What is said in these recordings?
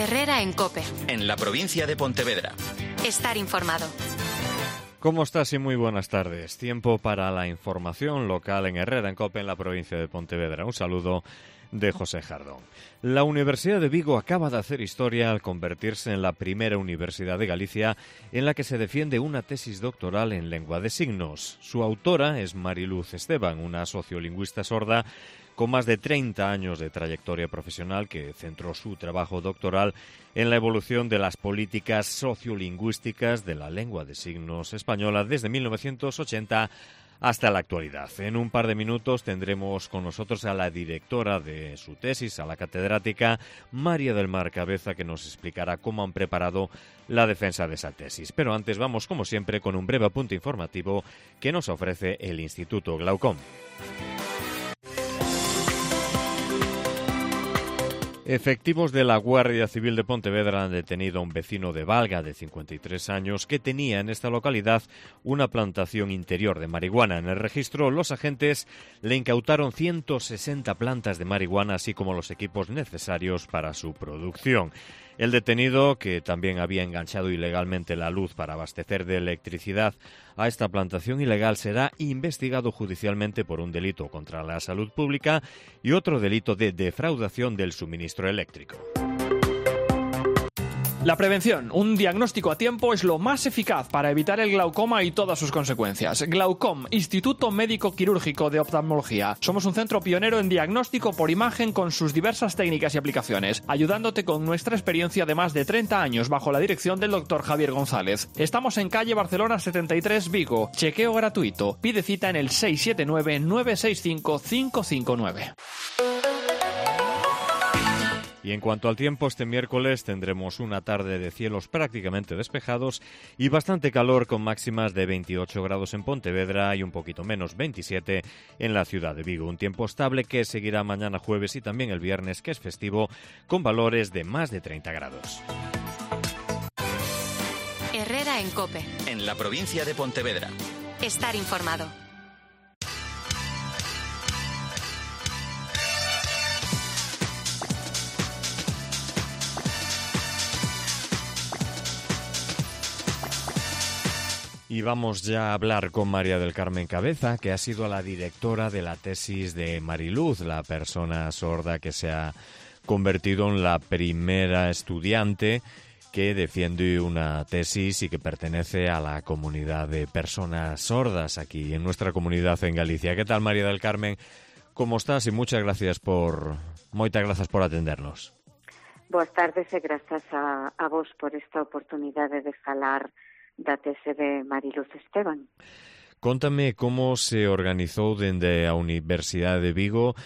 Herrera en COPE. En la provincia de Pontevedra. Estar informado. ¿Cómo estás? Y muy buenas tardes. Tiempo para la información local en Herrera en COPE en la provincia de Pontevedra. Un saludo de José Jardón. La Universidad de Vigo acaba de hacer historia al convertirse en la primera universidad de Galicia en la que se defiende una tesis doctoral en lengua de signos. Su autora es Mariluz Esteban, una sociolingüista sorda con más de 30 años de trayectoria profesional que centró su trabajo doctoral en la evolución de las políticas sociolingüísticas de la lengua de signos española desde 1980 hasta la actualidad. En un par de minutos tendremos con nosotros a la directora de su tesis, a la catedrática María del Mar Cabeza, que nos explicará cómo han preparado la defensa de esa tesis. Pero antes vamos, como siempre, con un breve apunte informativo que nos ofrece el Instituto Glaucom. Efectivos de la Guardia Civil de Pontevedra han detenido a un vecino de Valga de 53 años que tenía en esta localidad una plantación interior de marihuana. En el registro, los agentes le incautaron 160 plantas de marihuana, así como los equipos necesarios para su producción. El detenido, que también había enganchado ilegalmente la luz para abastecer de electricidad a esta plantación ilegal, será investigado judicialmente por un delito contra la salud pública y otro delito de defraudación del suministro eléctrico. La prevención, un diagnóstico a tiempo, es lo más eficaz para evitar el glaucoma y todas sus consecuencias. Glaucom, Instituto Médico Quirúrgico de Oftalmología. Somos un centro pionero en diagnóstico por imagen con sus diversas técnicas y aplicaciones, ayudándote con nuestra experiencia de más de 30 años bajo la dirección del Dr. Javier González. Estamos en calle Barcelona 73, Vigo. Chequeo gratuito. Pide cita en el 679-965-559. Y en cuanto al tiempo, este miércoles tendremos una tarde de cielos prácticamente despejados y bastante calor, con máximas de 28 grados en Pontevedra y un poquito menos, 27 en la ciudad de Vigo. Un tiempo estable que seguirá mañana jueves y también el viernes, que es festivo, con valores de más de 30 grados. Herrera en COPE. En la provincia de Pontevedra. Estar informado. Y vamos ya a hablar con María del Carmen Cabeza, que ha sido la directora de la tesis de Mariluz, la persona sorda que se ha convertido en la primera estudiante que defiende una tesis y que pertenece a la comunidad de personas sordas aquí en nuestra comunidad en Galicia. ¿Qué tal, María del Carmen? ¿Cómo estás? Y moitas gracias por atendernos. Boas tardes e grazas a vos por esta oportunidade de falar da tese de Mariluz Esteban. Contame como se organizou dende a Universidade de Vigo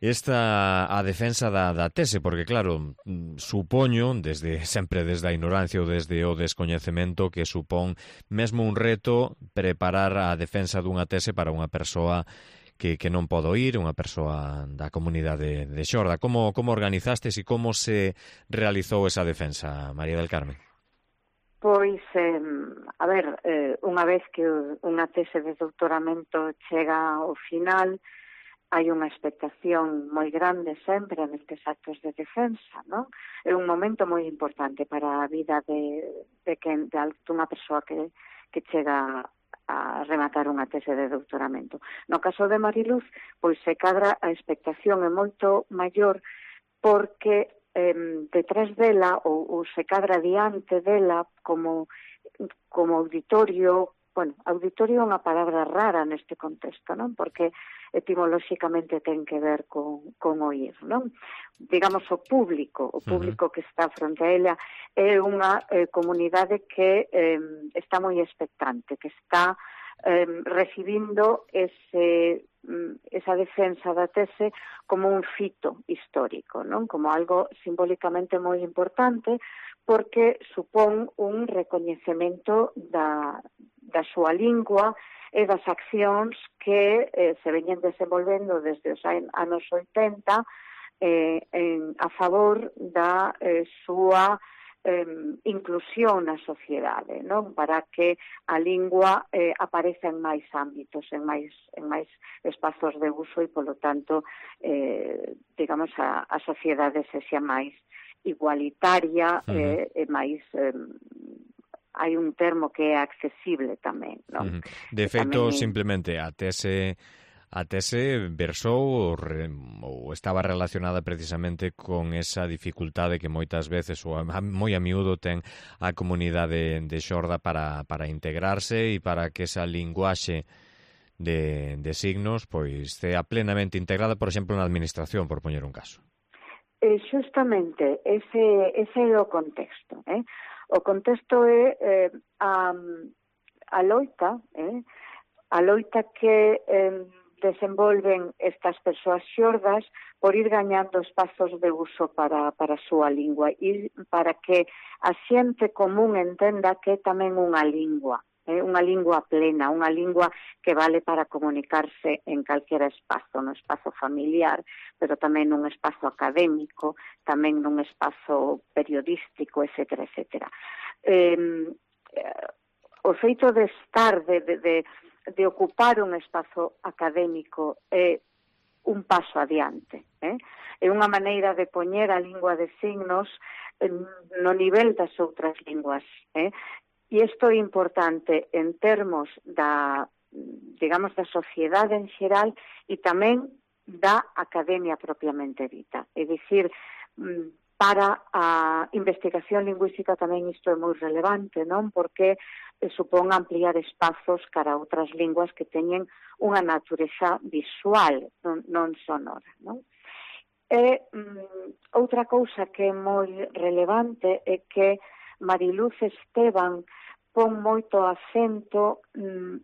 a defensa da tese, porque claro, supoño, sempre desde a ignorancia ou desde o descoñecemento, que supón mesmo un reto preparar a defensa dunha tese para unha persoa que non pode oír, unha persoa da comunidade de xorda. Como organizastes e como se realizou esa defensa, María del Carmen? Pois, unha vez que unha tese de doutoramento chega ao final, hai unha expectación moi grande sempre nestes actos de defensa, non? É un momento moi importante para a vida dunha persoa que chega a rematar unha tese de doutoramento. No caso de Mariluz, pois se cadra a expectación é moito maior porque detrás dela ou se cadra diante dela como auditorio. Bueno, auditorio é unha palabra rara neste contexto, non? Porque etimolóxicamente ten que ver con oír, non? Digamos, o público que está fronte a ela é unha comunidade que está moi expectante, que está recibindo esa defensa da tese como un fito histórico, non? Como algo simbólicamente moi importante, porque supón un recoñecemento da súa lingua e das accións que se veñen desenvolvendo desde os anos 80 a favor da súa inclusión na sociedade, non? Para que a lingua apareza en máis ámbitos, en máis espazos de uso e, polo tanto, digamos, a sociedade sexa máis igualitaria e máis hai un termo que é accesible tamén, non? De feito, simplemente a tese versou ou estaba relacionada precisamente con esa dificultade que moitas veces ou moi a miúdo ten a comunidade de xorda para integrarse e para que esa linguaxe de signos pois sea plenamente integrada, por exemplo, na administración, por poñer un caso. Justamente, ese é o contexto. O contexto é a loita que desenvolven estas persoas xordas por ir gañando espazos de uso para a súa lingua e para que a xente común entenda que é tamén unha lingua plena, unha lingua que vale para comunicarse en calquera espazo, no espazo familiar, pero tamén nun espazo académico, tamén nun espazo periodístico, etcétera, etcétera. O feito de estar, de ocupar un espazo académico é un paso adiante. É unha maneira de poñer a lingua de signos no nivel das outras linguas. E isto é importante en termos da sociedade en xeral e tamén da academia propiamente dita. É dicir, para a investigación lingüística tamén isto é moi relevante, non? Porque supón ampliar espazos cara a outras linguas que teñen unha natureza visual, non sonora, non? E outra cousa que é moi relevante é que Mariluz Esteban pon moito acento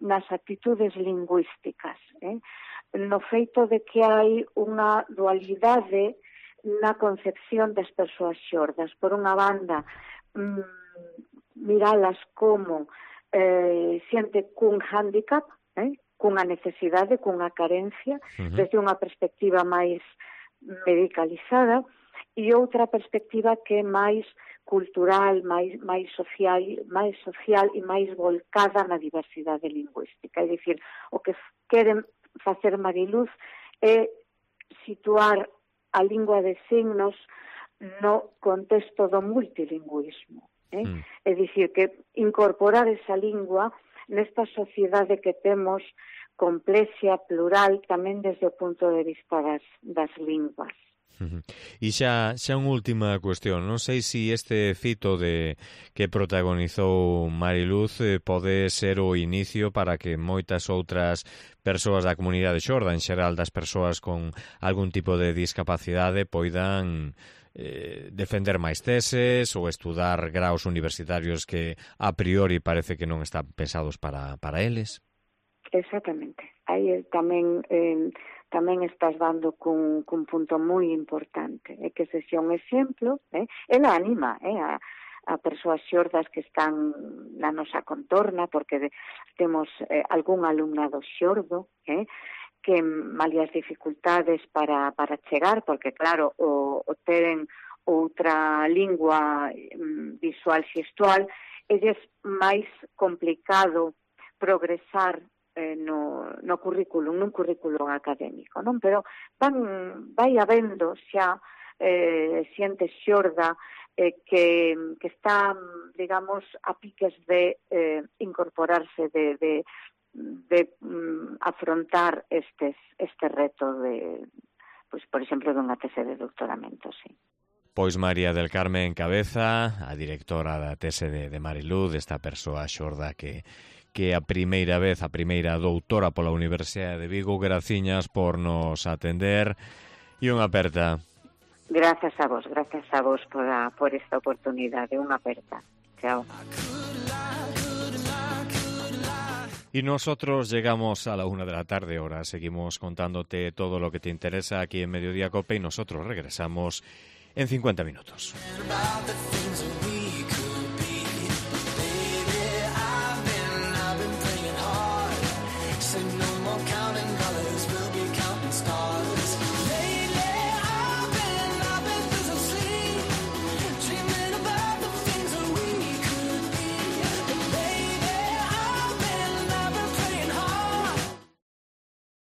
nas actitudes lingüísticas, no feito de que hai unha dualidade na concepción das persoas xordas. Por unha banda, miralas como xente cun hándicap, cunha necesidade, cunha carencia, desde unha perspectiva máis medicalizada, e outra perspectiva que é máis cultural, máis social e máis volcada na diversidade lingüística. É dicir, o que queren facer Mariluz é situar a lingua de signos no contexto do multilingüismo. É dicir, que incorporar esa lingua nesta sociedade que temos complexa, plural, tamén desde o punto de vista das linguas. E xa unha última cuestión, non sei se este fito que protagonizou Mariluz pode ser o inicio para que moitas outras persoas da comunidade xorda, en xeral das persoas con algún tipo de discapacidade, poidan defender máis teses ou estudar graos universitarios que a priori parece que non están pensados para eles. Exactamente. Aí tamén estás dando cun punto moi importante, que se xa un exemplo, ela anima a persoas xordas que están na nosa contorna, porque temos algún alumnado xordo, que malia as dificultades para chegar, porque claro, o teren outra lingua visual xestual, é máis complicado progresar no currículum, nun currículum académico, non? Pero vai habendo xa xente xorda que está, digamos, a piques de incorporarse, de afrontar este reto de, pues, por exemplo, dunha tese de doutoramento, sí. Pois María del Carmen Cabeza, a directora da tese de Mariluz, esta persoa xorda que a primeira doutora pola Universidade de Vigo. Graciñas por nos atender e unha aperta. Gracias a vos por esta oportunidade, unha aperta. Chao. Y nosotros llegamos a la 1 de la tarde, ahora seguimos contándote todo lo que te interesa aquí en Mediodía Cope y nosotros regresamos en 50 minutos.